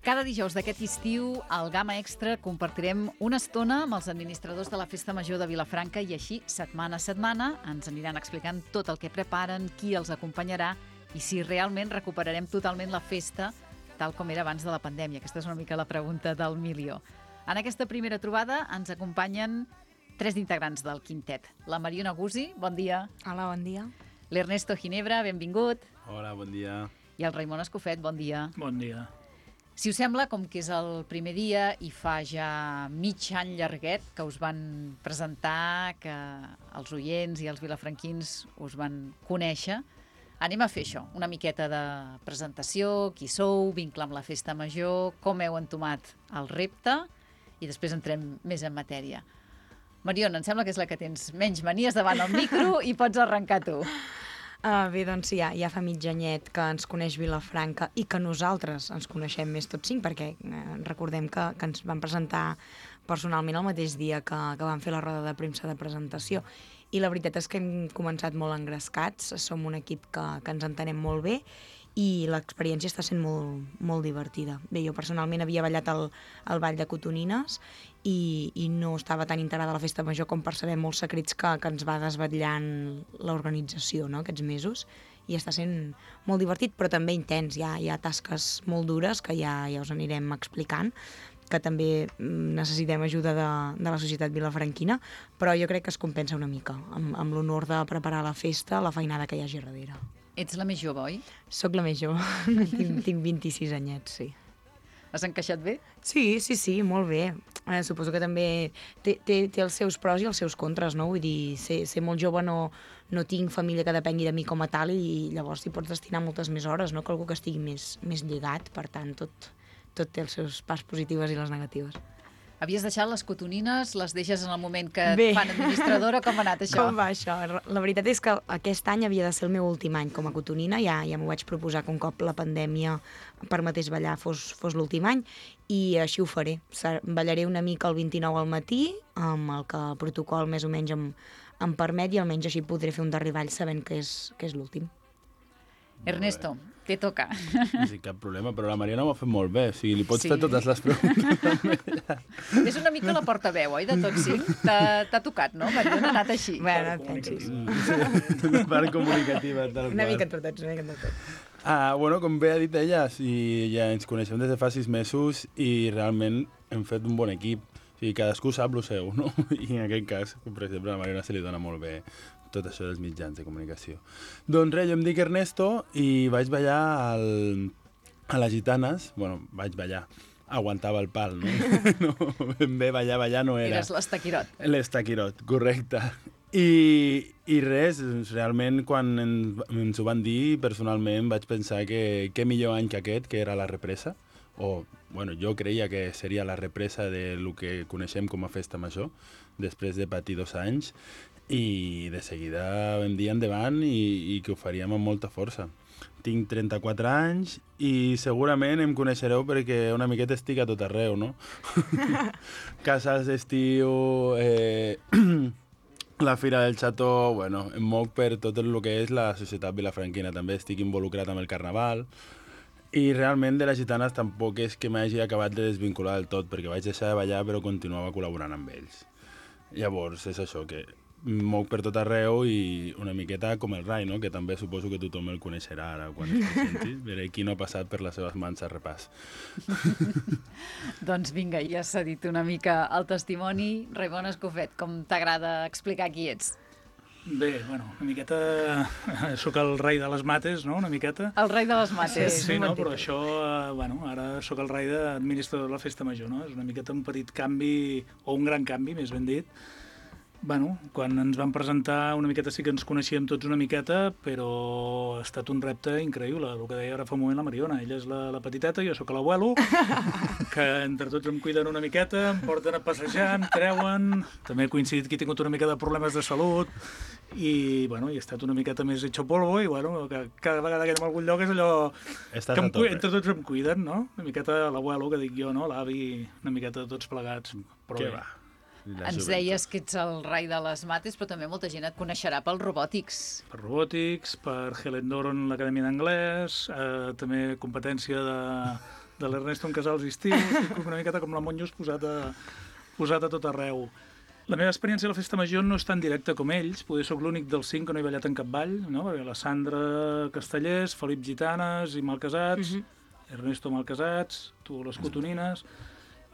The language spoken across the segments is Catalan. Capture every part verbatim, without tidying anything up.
Cada dijous d'aquest estiu, al Gamma Extra, compartirem una estona amb els administradors de la Festa Major de Vilafranca i així, setmana a setmana, ens aniran explicant tot el que preparen, qui els acompanyarà i si realment recuperarem totalment la festa tal com era abans de la pandèmia. Aquesta és una mica la pregunta del milió. En aquesta primera trobada ens acompanyen tres integrants del quintet. La Mariona Guzzi, bon dia. Hola, bon dia. L'Ernesto Ginebra, benvingut. Hola, bon dia. I el Raimon Escofet, bon dia. Bon dia. Si us sembla, com que és el primer dia i fa ja mig any llarguet que us van presentar, que els oients i els vilafranquins us van conèixer, anem a fer això, una miqueta de presentació, qui sou, vincle amb la Festa Major, com heu entomat el repte i després entrem més en matèria. Mariona, em sembla que és la que tens menys manies davant el micro i pots arrencar tu. Uh, bé, doncs sí, ja, ja fa mig anyet que ens coneix Vilafranca i que nosaltres ens coneixem més tots cinc, perquè eh, recordem que, que ens van presentar personalment el mateix dia que, que vam fer la roda de premsa de presentació. I la veritat és que hem començat molt engrescats, som un equip que, que ens entenem molt bé i l'experiència està sent molt, molt divertida. Bé, jo personalment havia ballat el, el ball de cotonines i, i no estava tan integrada a la Festa Major com per saber molts secrets que, que ens va desvetllant l'organització, no?, aquests mesos, i està sent molt divertit, però també intens. Hi ha, hi ha tasques molt dures que ja, ja us anirem explicant, que també necessitem ajuda de, de la societat vilafranquina, però jo crec que es compensa una mica amb, amb l'honor de preparar la festa, la feinada que hi hagi darrere. Ets la més jove, oi? Soc la més jove, tinc, tinc vint-i-sis anyets, sí. Has encaixat bé? Sí, sí, sí, molt bé. Eh, suposo que també té, té, té els seus pros i els seus contres, no? Vull dir, ser, ser molt jove no, no tinc família que depengui de mi com a tal i llavors hi pots destinar moltes més hores, no?, que algú que estigui més, més lligat, per tant, tot, tot té els seus parts positives i les negatives. Havies deixat les cotonines, les deixes en el moment que Bé. et fan administradora, com ha anat això? Com va això? La veritat és que aquest any havia de ser el meu últim any com a cotonina, ja, ja m'ho vaig proposar que un cop la pandèmia permetés ballar fos, fos l'últim any, i així ho faré. Ballaré una mica el vint-i-nou al matí, amb el que el protocol més o menys em, em permet, i almenys així podré fer un derriball sabent que és, que és l'últim. Ernesto, te toca. Sí, cap problema, però la Mariona ho ha fet molt bé. O sigui, li pots Sí. fer totes les preguntes. És una mica la portaveu, oi, de tots cinc? T'ha tocat, no? Mariona, ha anat així. Bueno, et pensis. La part comunicativa, tal Una qual. mica tot, una mica tot. Ah, bueno, com bé ha dit ella, sí, ja ens coneixem des de fa sis mesos i realment hem fet un bon equip. O sigui, cadascú sap el seu, no? I en aquest cas, per exemple, a la Mariona se li dona molt bé tot això dels mitjans de comunicació. Doncs res, jo em dic Ernesto i vaig ballar al, a les Gitanes. Bueno, vaig ballar. Aguantava el pal, no? No, ben bé, ballar, ballar no era. Eres l'estaquirot. L'estaquirot, correcte. I, i res, realment quan ens, ens ho van dir, personalment vaig pensar que què millor any que aquest, que era la represa, o, bueno, jo creia que seria la represa de lo que coneixem com a Festa Major, després de patir dos anys, i de seguida vam dir endavant i, i que ho faríem amb molta força. Tinc trenta-quatre anys i segurament em coneixereu perquè una miqueta estic a tot arreu, no? Casals d'estiu, eh, la Fira del Xató, bueno, em moc per tot el que és la societat vilafranquina. També estic involucrat amb el Carnaval i realment de les Gitanes tampoc és que m'hagi acabat de desvincular del tot, perquè vaig deixar de ballar però continuava col·laborant amb ells. Llavors és això, que moc per tot arreu i una miqueta com el Rai, no?, que també suposo que tothom el coneixerà ara quan es presenti. Veré qui no ha passat per les seves mans a repàs. Doncs vinga, ja s'ha dit una mica el testimoni. Raimon Escofet, com t'agrada explicar qui ets? Bé, bueno, una miqueta... Soc el rei de les mates, no?, una miqueta. El rei de les mates. Sí, sí, no, però això, eh, bueno, ara sóc el rei d'administrador de la Festa Major, no? És una miqueta un petit canvi, o un gran canvi, més ben dit. Bueno, quan ens van presentar una miqueta sí que ens coneixíem tots una miqueta, però ha estat un repte increïble, el que deia ara fa un moment la Mariona. Ella és la, la petiteta, jo sóc l'abuelo, que entre tots em cuiden una miqueta, em porten a passejar, em treuen, també he coincidit que he tingut una mica de problemes de salut, i, bueno, i he estat una miqueta més hecho polvo, i, bueno, que cada vegada que anem a algun lloc és allò Estàs que em, a tope. entre tots em cuiden, no? Una miqueta l'abuelo, que dic jo, no? L'avi, una miqueta tots plegats, però Què bé. va? La Ens joventut. deies que ets el rei de les mates, però també molta gent et coneixerà pels robòtics. Per robòtics, per Helen Doron, l'Acadèmia d'Anglès, eh, també competència de, de l'Ernesto en Casals i estiu, estic una miqueta com la Monjos posat a, posat a tot arreu. La meva experiència a la Festa Major no és tan directa com ells, poder soc l'únic dels cinc que no he ballat en cap ball, no? Perquè la Sandra Castellers, Felip Gitanes i Malcasats, uh-huh. Ernesto Malcasats, tu les Cotonines.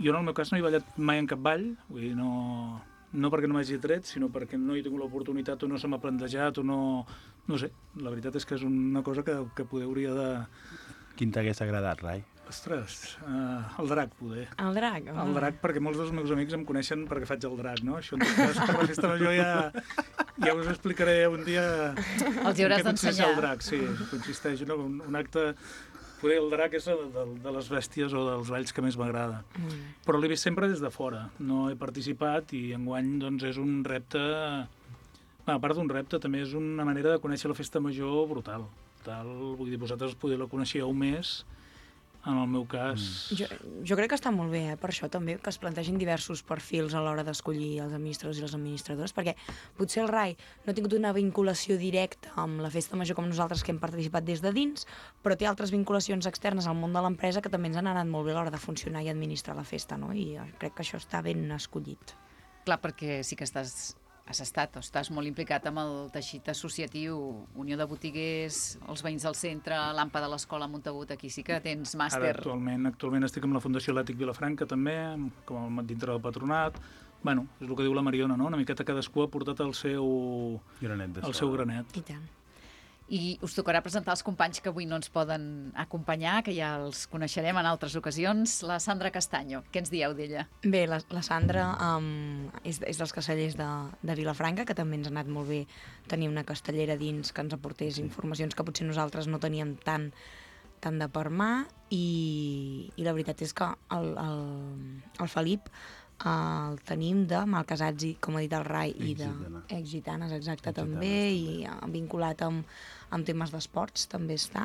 Jo en el meu cas no he ballat mai en cap ball, vull dir, no, no perquè no m'hagi tret, sinó perquè no he tingut l'oportunitat o no se m'ha plantejat o no... No sé, la veritat és que és una cosa que, que poder hauria de... Quin t'hagués agradat, Rai? Ostres, uh, el drac, poder. El drac? Oh. El drac, perquè molts dels meus amics em coneixen perquè faig el drac, no? Això en tot cas, per la Festa Major ja, ja us explicaré un dia... Els hi hauràs d'ensenyar. El drac, sí, consisteix en un, un acte... Poder el drac és de, de, de les bèsties o dels balls que més m'agrada. Mm. Però l'he vist sempre des de fora. No he participat i enguany doncs, és un repte... A part d'un repte, també és una manera de conèixer la Festa Major brutal. Tal, vull dir, vosaltres poder la coneixíeu més, en el meu cas... Mm. Jo, jo crec que està molt bé, eh? Per això també, que es plantegin diversos perfils a l'hora d'escollir els administradors i les administradores, perquè potser el Rai no ha tingut una vinculació directa amb la Festa Major com nosaltres que hem participat des de dins, però té altres vinculacions externes al món de l'empresa que també ens han anat molt bé a l'hora de funcionar i administrar la festa, no? I crec que això està ben escollit. Clar, perquè sí que estàs... has estat o estàs molt implicat amb el teixit associatiu, Unió de Botiguers, els veïns del centre, l'AMPA de l'Escola Montagut, aquí sí que tens màster. Ara actualment, actualment estic amb la Fundació Atlètic Vilafranca també, com a dintre del patronat. Bueno, és el que diu la Mariona, no? Una miqueta cadascú ha portat el seu granet. El seu granet. I tant. I us tocarà presentar els companys que avui no ens poden acompanyar, que ja els coneixerem en altres ocasions. La Sandra Castaño, què ens dieu d'ella? Bé, la, la Sandra um, és, és dels castellers de, de Vilafranca, que també ens ha anat molt bé tenir una castellera dins que ens aportés informacions que potser nosaltres no teníem tant, tant de per mà, i, i la veritat és que el, el, el Felip el tenim de Malcasats, i, com ha dit el Rai, i de Ex-Gitanes, exacte, també, i vinculat amb, amb temes d'esports, també està.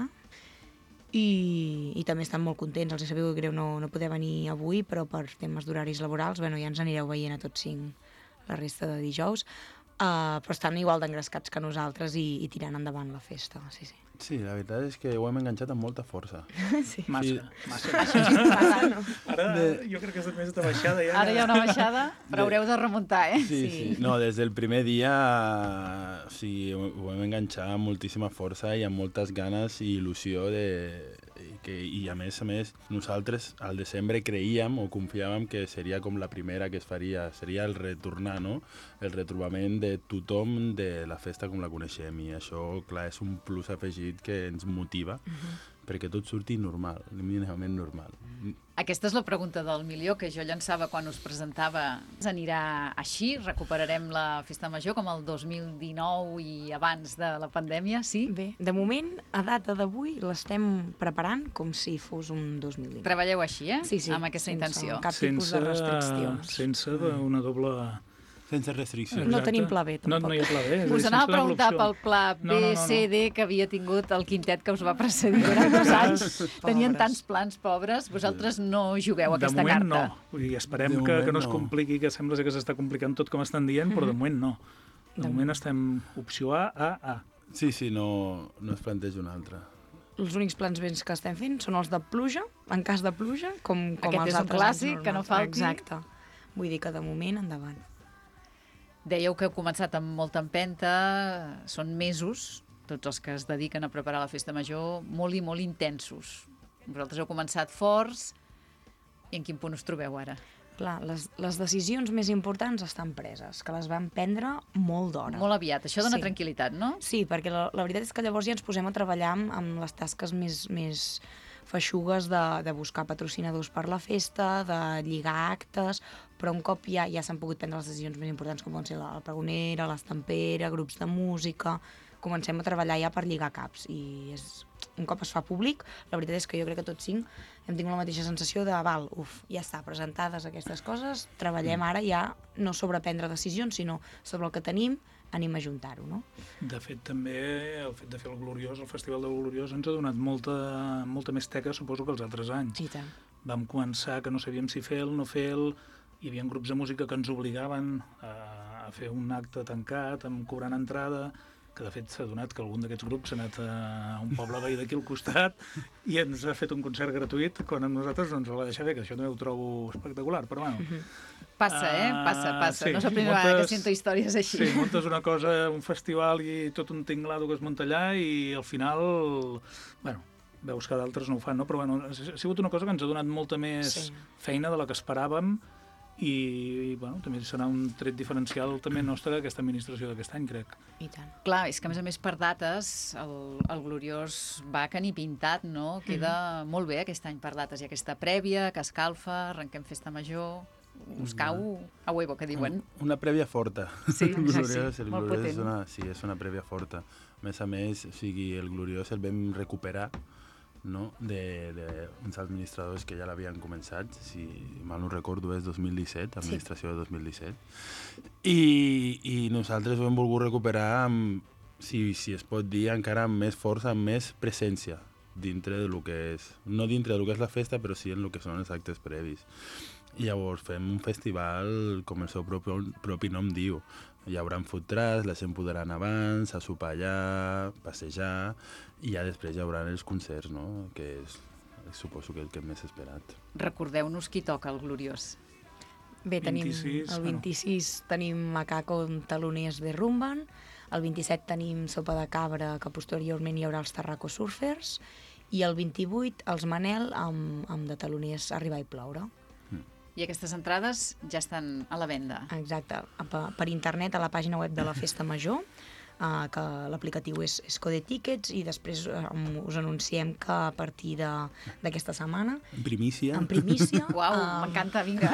I, i també estan molt contents, els sabeu greu no, no poder venir avui, però per temes d'horaris laborals, bueno, ja ens anireu veient a tots cinc la resta de dijous, uh, però estan igual d'engrescats que nosaltres i, i tirant endavant la festa, sí, sí. Sí, la veritat és que ho hem enganxat amb molta força. Sí. Massa, sí. massa. Això és interessant, no? Ara jo crec que és més de baixada. Ja. Ara hi ha una baixada, però haureu de remuntar, eh? Sí, sí. sí. No, des del primer dia sí, ho, ho hem enganxat amb moltíssima força i amb moltes ganes i il·lusió de... Que, i a més a més nosaltres al desembre creíem o confiàvem que seria com la primera que es faria, seria el retornar, no? El retrobament de tothom de la festa com la coneixem, i això, clar, és un plus afegit que ens motiva uh-huh. perquè tot surti normal, mínimament normal. Aquesta és la pregunta del milió que jo llançava quan us presentava. Anirà així? Recuperarem la Festa Major com el dos mil dinou i abans de la pandèmia, sí? Bé, de moment, a data d'avui, l'estem preparant com si fos un dos mil dinou. Treballeu així, eh? Sí, sí. Amb aquesta sense intenció. cap tipus de restriccions. Sense una doble... Sense restriccions. No tenim pla B, tampoc. No, no hi ha pla B. Us anava a preguntar pel pla B, no, no, no, no. C, D, que havia tingut el quintet que us va precedir durant dos anys. Tenien tants plans pobres. Vosaltres no jugueu aquesta carta. carta. De moment no. Vull dir, esperem que, que no es compliqui, que sembla que s'està complicant tot com estan dient, però de moment no. De moment estem opció A, A, A. Sí, sí, no, no es planteja una altra. Els únics plans béns que estem fent són els de pluja, en cas de pluja, com, com Aquest els és un altres clàssic, que no falti. Exacte. Vull dir que de moment endavant. Dèieu que heu començat amb molta empenta, són mesos, tots els que es dediquen a preparar la Festa Major, molt i molt intensos. Vosaltres heu començat forts, i en quin punt us trobeu ara? Clar, les, les decisions més importants estan preses, que les vam prendre molt d'hora. Molt aviat, això dona sí. tranquil·litat, no? Sí, perquè la, la veritat és que llavors ja ens posem a treballar amb, amb les tasques més, més feixugues de, de buscar patrocinadors per la festa, de lligar actes, però un cop ja, ja s'han pogut prendre les decisions més importants, com poden ser la, la pregonera, l'estampera, grups de música, comencem a treballar ja per lligar caps, i és, un cop es fa públic, la veritat és que jo crec que tots cinc hem tingut la mateixa sensació de, val, uf, ja està, presentades aquestes coses, treballem ara ja no sobre prendre decisions, sinó sobre el que tenim, anem a juntar-ho, no? De fet, també el fet de fer el Gloriós, el Festival del Gloriós, ens ha donat molta, molta més teca, suposo, que els altres anys. Sí, tant. Vam començar que no sabíem si fer-lo, no fer-lo, hi havia grups de música que ens obligaven a, a fer un acte tancat, amb cobrant entrada, que de fet s'ha donat que algun d'aquests grups s'ha anat a un poble veí d'aquí al costat i ens ha fet un concert gratuït quan a nosaltres no ens ho va deixar bé, que això també ho trobo espectacular, però bueno. Uh-huh. Passa, eh? Passa, passa. Sí, no és la primera vegada que sento històries així. Sí, muntes una cosa, un festival i tot un tinglado que es munta allà i al final, bueno, veus que d'altres no ho fan, no? Però bueno, ha sigut una cosa que ens ha donat molta més sí. feina de la que esperàvem i, i bueno, també serà un tret diferencial també nostre d'aquesta administració d'aquest any, crec. I tant. Clar, és que a més a més per dates el, el Gloriós va que ni pintat, no? Queda mm-hmm. molt bé aquest any per dates. Hi ha aquesta prèvia que escalfa, arrenquem festa major, us cau a huevo, que diuen. Una prèvia forta. Sí, el gloriós, sí, el molt gloriós potent. és una, sí, és una prèvia forta. A més a més, o sigui, el Gloriós el vam recuperar, no? d'uns administradors que ja l'havien començat, si mal no recordo és dos mil disset, administració sí. de dos mil disset, i, i nosaltres ho hem volgut recuperar amb, si, si es pot dir, encara amb més força, amb més presència dintre de lo que és, no dintre de lo que és la festa, però sí en lo que són els actes previs. I llavors fem un festival, com el seu propi, propi nom diu. Hi haurà food trucks, la gent podrà anar abans, a sopar allà, passejar, i ja després hi haurà els concerts, no? Que és, suposo que el que hem més esperat. Recordeu-nos qui toca el Gloriós. Bé, tenim vint-i-sis, el vint-i-sis bueno. tenim Macaco amb taloners de Rumban, el vint-i-set tenim Sopa de Cabra, que posteriorment hi haurà els Tarraco Surfers, i el vint-i-vuit els Manel amb, amb de taloners Arribar i Ploure. I aquestes entrades ja estan a la venda. Exacte, per, per internet a la pàgina web de la Festa Major, uh, que l'aplicatiu és, és Code Tickets, i després um, us anunciem que a partir d'aquesta setmana, en primícia, en primícia Uau, um, m'encanta, vinga.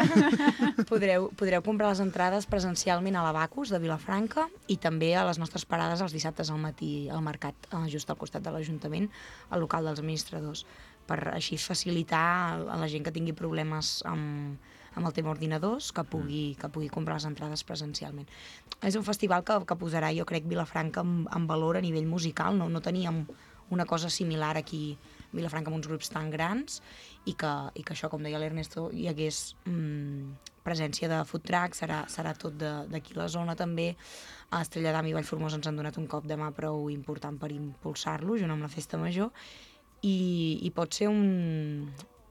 podreu, podreu comprar les entrades presencialment a l'Abacus de Vilafranca i també a les nostres parades els dissabtes al matí al mercat, uh, just al costat de l'Ajuntament, al local dels administradors, per així facilitar a la gent que tingui problemes amb, amb el tema ordinadors, que pugui, que pugui comprar les entrades presencialment. És un festival que, que posarà, jo crec, Vilafranca en, en valor a nivell musical. No, no teníem una cosa similar aquí a Vilafranca amb uns grups tan grans i que, i que això, com deia l'Ernesto, hi hagués mm, presència de food truck, serà, serà tot d'aquí la zona també. A Estrella d'Am i Vallformosa ens han donat un cop de mà prou important per impulsar-lo, junt amb la Festa Major, i, i pot ser un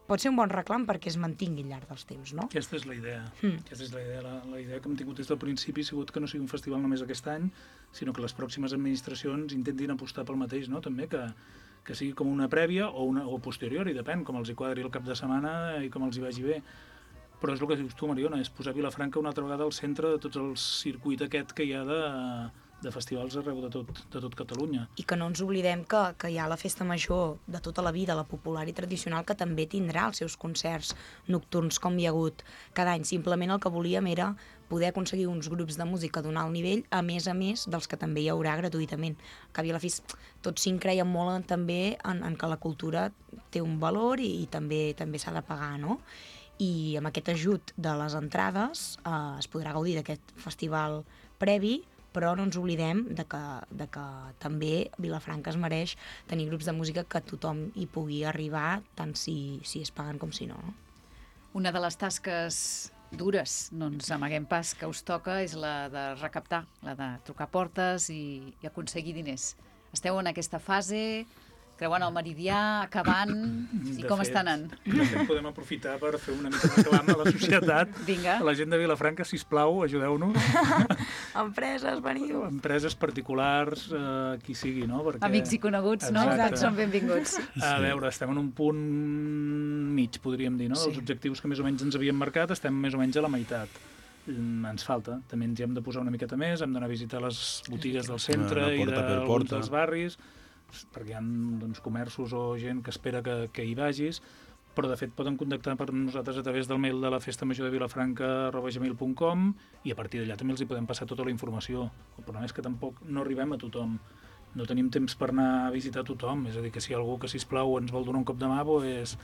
pot ser un bon reclam perquè es mantingui al llarg dels temps, no? Aquesta és la idea. Mm. Aquesta és la idea. La, la idea que hem tingut des del principi ha sigut que no sigui un festival només aquest any, sinó que les pròximes administracions intentin apostar pel mateix, no? També que, que sigui com una prèvia o, una, o posterior, i depèn, com els hi quadri el cap de setmana i com els hi vagi bé. Però és el que dius tu, Mariona, és posar Vilafranca una altra vegada al centre de tots els circuit aquest que hi ha de, de festivals arreu de tot, de tot Catalunya. I que no ens oblidem que, que hi ha la Festa Major de tota la vida, la popular i tradicional, que també tindrà els seus concerts nocturns com hi ha hagut cada any. Simplement el que volíem era poder aconseguir uns grups de música d'un alt nivell, a més a més dels que també hi haurà gratuïtament. Que a la fi tots cinc creiem molt en, també en, en que la cultura té un valor i, i també també s'ha de pagar, no? I amb aquest ajut de les entrades eh, es podrà gaudir d'aquest festival previ, però no ens oblidem de que, de que també Vilafranca es mereix tenir grups de música que tothom hi pugui arribar, tant si, si es paguen com si no. Una de les tasques dures, no ens amaguem pas, que us toca és la de recaptar, la de trucar portes i, i aconseguir diners. Esteu en aquesta fase, creuen el Meridià, acabant, i com fet, està anant? De fet, podem aprofitar per fer una mica de clam a la societat. Vinga. A la gent de Vilafranca, sisplau, ajudeu-nos. Empreses, veniu. Empreses particulars, eh, qui sigui, no? Perquè... Amics i coneguts, no? Exacte. Tots són benvinguts. A veure, estem en un punt mig, podríem dir, no? Sí. Dels objectius que més o menys ens havíem marcat, estem més o menys a la meitat. Ens falta. També ens hi hem de posar una miqueta més, hem d'anar a visitar les botigues del centre Una i porta per d'alguns porta. dels barris, perquè hi ha doncs, comerços o gent que espera que, que hi vagis, però de fet poden contactar per nosaltres a través del mail de la festa major de vilafranca arroba gmail punt com i a partir d'allà també els hi podem passar tota la informació. El problema és que tampoc no arribem a tothom. No tenim temps per anar a visitar tothom, és a dir, que si algú que, sisplau, ens vol donar un cop de mà, pues,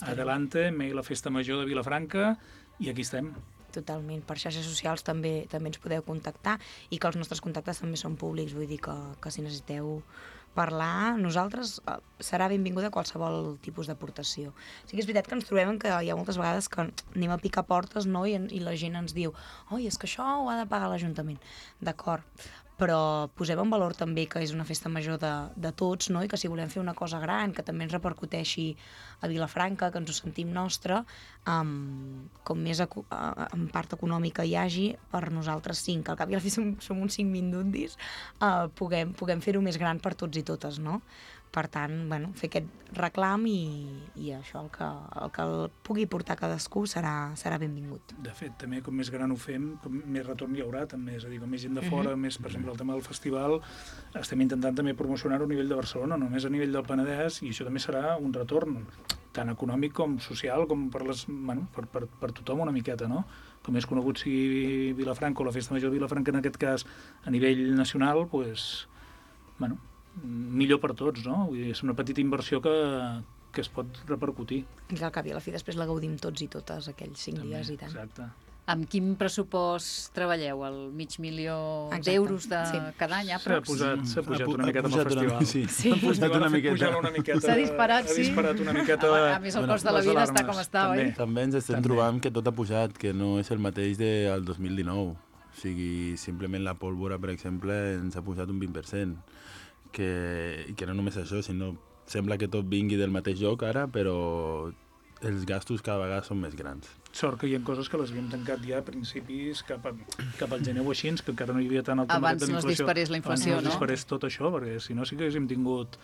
adelante, mail a festa major de Vilafranca, i aquí estem. Totalment. Per xarxes socials també també ens podeu contactar i que els nostres contactes també són públics, vull dir que, que si necessiteu parlar, nosaltres eh, serà benvinguda qualsevol tipus d'aportació. Sí que és veritat que ens trobem que hi ha moltes vegades que anem a picar portes, no? I, i la gent ens diu, oi, és que això ho ha de pagar l'Ajuntament. D'acord, però posem en valor també que és una festa major de, de tots, no? I que si volem fer una cosa gran, que també ens repercuteixi a Vilafranca, que ens ho sentim nostre, um, com més eco uh, en part econòmica hi hagi, per nosaltres cinc, que al cap i a la fi som, som uns cinc mindundis, uh, puguem, puguem fer-ho més gran per tots i totes, no? Per tant, bueno, fer aquest reclam i, i això, el que, el que el pugui portar cadascú serà, serà benvingut. De fet, també com més gran ho fem, com més retorn hi haurà, també, és a dir, com més gent de fora, uh-huh. més, per exemple, el tema del festival, estem intentant també promocionar-ho a nivell de Barcelona, només a nivell del Penedès, i això també serà un retorn, tant econòmic com social, com per, les, bueno, per, per, per tothom una miqueta, no? Com més conegut sigui Vilafranca o la Festa Major de Vilafranca, en aquest cas, a nivell nacional, doncs, pues, bueno, millor per tots, no? Vull dir, és una petita inversió que, que es pot repercutir. I que al cap i a la fi després la gaudim tots i totes aquells cinc També, dies i tant. Exacte. Amb quin pressupost treballeu? El mig milió d'euros de sí. cada any? S'ha pujat, s'ha pujat una miqueta amb el pujat festival. Una, sí, Sí. s'ha pujat una miqueta. Una miqueta. S'ha disparat, sí. Ha disparat una miqueta. A més, el cost de la les vida alarmes, està com està, també. oi? També ens estem També. trobant que tot ha pujat, que no és el mateix del dos mil dinou. O sigui, simplement la pólvora, per exemple, ens ha pujat un vint per cent. Que, que no només això, sinó sembla que tot vingui del mateix lloc ara, però els gastos cada vegada són més grans. Sort que hi ha coses que les havíem tancat ja a principis, cap, a, cap al gener o així, que encara no hi havia tant el tema Abans de no es disparés la inflació, Abans no no? es disparés tot això, perquè si no sí que haguéssim tingut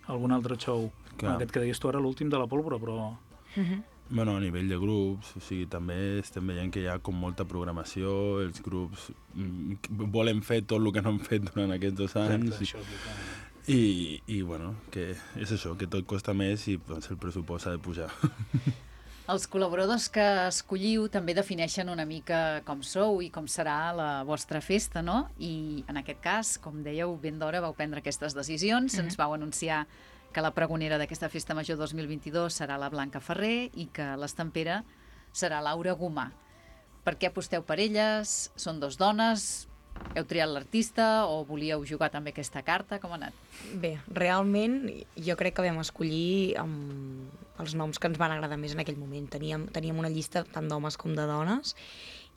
algun altre show. Clar. Aquest que deies tu ara, l'últim de la pólvora, però... Uh-huh. Bueno, a nivell de grups, o sigui, també estem veient que hi ha com molta programació, els grups mm, volen fer tot el que no han fet durant aquests dos anys. Exacte, això, clar. I, i bueno, que és això, que tot costa més i doncs, el pressupost ha de pujar. Els col·laboradors que escolliu també defineixen una mica com sou i com serà la vostra festa, no? I en aquest cas, com dèieu, ben d'hora vau prendre aquestes decisions, mm-hmm. ens vau anunciar que la pregonera d'aquesta Festa Major dos mil vint-i-dos serà la Blanca Ferrer i que l'estampera serà Laura Gomà. Per què aposteu per elles? Són dos dones? Heu triat l'artista o volíeu jugar també aquesta carta? Com ha anat? Bé, realment jo crec que vam escollir um, els noms que ens van agradar més en aquell moment. Teníem, teníem una llista tant d'homes com de dones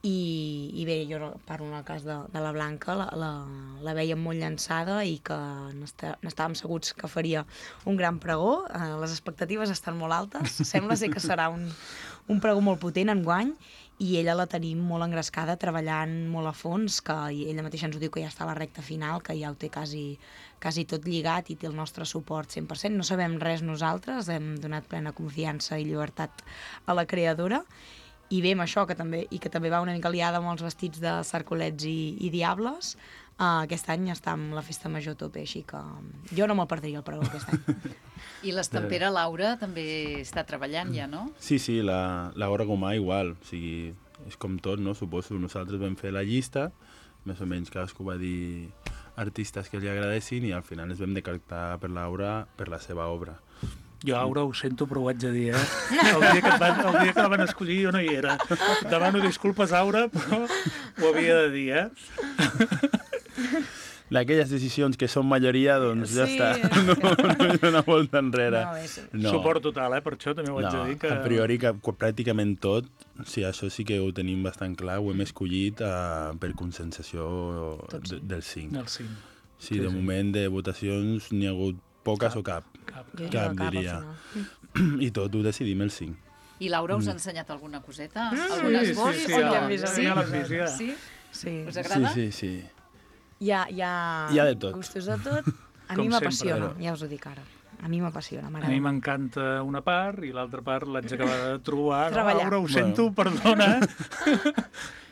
i, i bé, jo parlo en el cas de, de la Blanca, la, la, la vèiem molt llançada i que n'estàvem segurs que faria un gran pregó. Eh, les expectatives estan molt altes, sembla ser que serà un, un pregó molt potent enguany i ella la tenim molt engrescada, treballant molt a fons, que ella mateixa ens ho diu que ja està a la recta final, que ja ho té quasi, quasi tot lligat i té el nostre suport cent per cent. No sabem res nosaltres, hem donat plena confiança i llibertat a la creadora. I bé, amb això, que també, i que també va una mica liada amb els vestits de cercolets i, i diables, uh, aquest any està amb la Festa Major a tope, així que jo no me'l perdria el pregó aquest any. I l'estampera Laura també està treballant ja, no? Sí, sí, la, la Laura Gomà igual, o sigui, és com tot, no? Suposo, nosaltres vam fer la llista, més o menys cadascú va dir artistes que li agradessin i al final ens vam decantar per Laura per la seva obra. Jo, Aura, ho sento, però ho haig de dir, eh? El dia que, van, el dia que la van escollir jo no hi era. Demano disculpes, Aura, però ho havia de dir, eh? D'aquelles decisions que són majoria, doncs ja Sí, està. és No, no hi ha una volta enrere. No, és... No. Suport total, eh? Per això també ho haig No, de dir. Que... a priori que pràcticament tot, sí, això sí que ho tenim bastant clar, ho hem escollit uh, per consensació de, del cinc. El cinc. Sí, Sí, de sí. moment de votacions n'hi ha hagut poques Cap. o cap. Cap. Jo Cap, al diria. final. I tot ho decidim el cinc. I Laura us ha ensenyat alguna coseta? Mm, Algun sí, esbós? sí, sí, o ja no? l'hem vist, ja l'hem vist, ja. Sí? Sí. Us agrada? Sí, sí, sí. Hi ha, hi ha, Hi ha de tot. gustos de tot. A Com mi sempre, m'apassiona, però- ja us ho dic ara. A mi m'apassiona, A mi m'agrada. m'encanta una part i l'altra part l'haig d'acabar de trobar. No, Treballar. Aura, ho sento, perdona.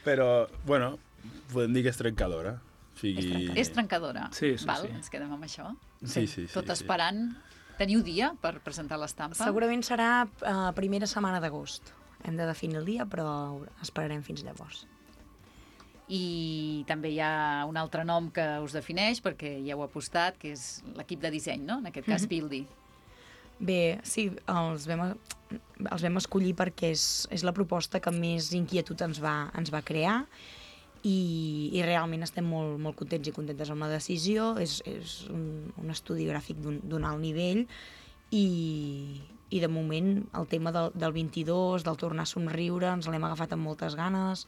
Però, bueno, podem dir que és trencadora. O sigui... És trencadora. Sí, sí, Val? sí. Ens quedem amb això. Sí, sí, sí. Tot sí. esperant. Teniu dia per presentar l'estampa? Segurament serà uh, primera setmana d'agost. Hem de definir el dia, però esperarem fins llavors. I també hi ha un altre nom que us defineix, perquè ja heu apostat, que és l'equip de disseny, no? En aquest cas, Buildy. Bé, sí, els vam, els vam escollir perquè és, és la proposta que més inquietud ens va, ens va crear i, i realment estem molt, molt contents i contentes amb la decisió. És, és un, un estudi gràfic d'un alt nivell i, i de moment el tema del, del vint-i-dos, del tornar a somriure, ens l'hem agafat amb moltes ganes.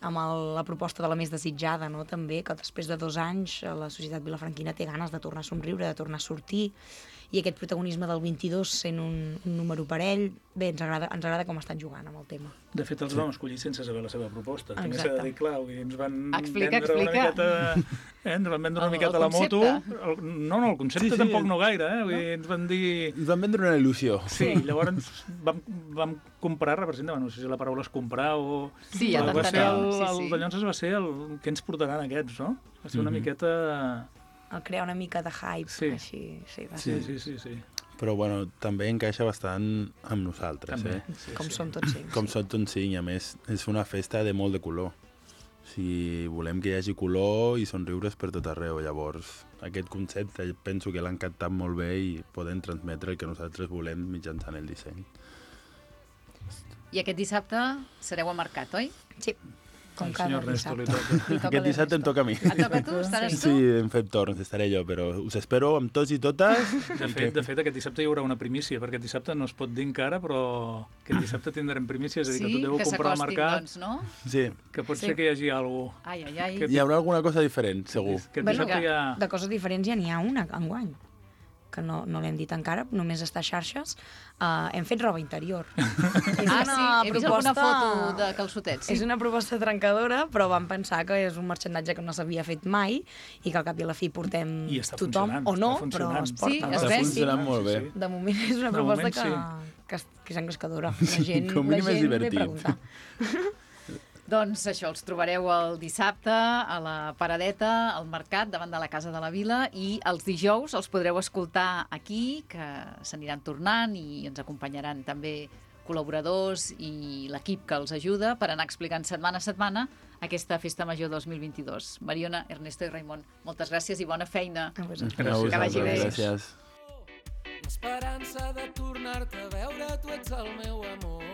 amb el, la proposta de la més desitjada, no? També, que després de dos anys la societat vilafranquina té ganes de tornar a somriure, de tornar a sortir, i aquest protagonisme del vint-i-dos sent un, un número parell, bé, ens agrada, ens agrada com estan jugant amb el tema. De fet, els sí. vam escollir sense saber la seva proposta. Exacte. També s'ha de dir, clar, ens van explica, vendre explica. una miqueta... Eh, ens van vendre una El- miqueta el la moto. concepte. El, no, no, el concepte Sí, sí. tampoc no gaire, eh? Vull dir, ens van dir... Ens van vendre una il·lusió. Sí, llavors vam, vam comprar, representa, no sé si la paraula és comprar o... Sí, ja Però va ser el, t'entenem. Sí, el sí. de Llonses va ser el que ens portaran aquests, no? Va ser una Mhm. miqueta... El crear una mica de hype, Sí. així, sí, va Sí, ser sí, sí, sí. Però bueno, també encaixa bastant amb nosaltres, També. eh? Sí, com sí. som tots cinc. Com són tots cinc, i a més és una festa de molt de color. O sigui, volem que hi hagi color i somriures per tot arreu. Llavors, aquest concepte penso que l'han captat molt bé i podem transmetre el que nosaltres volem mitjançant el disseny. I aquest dissabte sereu a Mercat, oi? Sí, com El cada senyor Ernesto li dissabte. toca. Li toca Aquest dissabte em l'Ernesto. toca a mi. Et toca a tu? Estaràs Sí, tu? hem fet torns, estaré jo, però us espero amb tots i totes. De fet, de fet, aquest dissabte hi haurà una primícia, perquè aquest dissabte no es pot dir encara, però aquest dissabte tindrem primícia, és a dir, que Sí, tot deu que comprar al s'acostin, mercat, doncs, no? Sí, que pot Sí. ser que hi hagi alguna cosa. Ai, ai, ai. Que- hi haurà alguna cosa diferent, segur. Aquest Bueno, dissabte hi ha... De coses diferents ja n'hi ha una, enguany, que no, no l'hem dit encara, només està a xarxes. Uh, hem fet roba interior. És Ah, una sí, he vist alguna proposta- foto de calçotets. Sí. És una proposta trencadora, però vam pensar que és un marxandatge que no s'havia fet mai i que al cap i a la fi portem I està tothom, funcionant, o no, està però funcionant. es porta. Sí, no? es Està ve, funcionant molt bé. De moment és una De proposta moment, que, sí. que, es- que és engrescadora. La gent, Com a la mínim és gent ve a divertit. preguntar. Doncs això, els trobareu el dissabte a la Paradeta, al Mercat, davant de la Casa de la Vila, i els dijous els podreu escoltar aquí, que s'aniran tornant i ens acompanyaran també col·laboradors i l'equip que els ajuda per anar explicant setmana a setmana aquesta Festa Major dos mil vint-i-dos. Mariona, Ernesto i Raimon, moltes gràcies i bona feina. A vosaltres. A Gràcies. Que vagi bé. Gràcies. L'esperança de tornar-te a veure, tu ets el meu amor.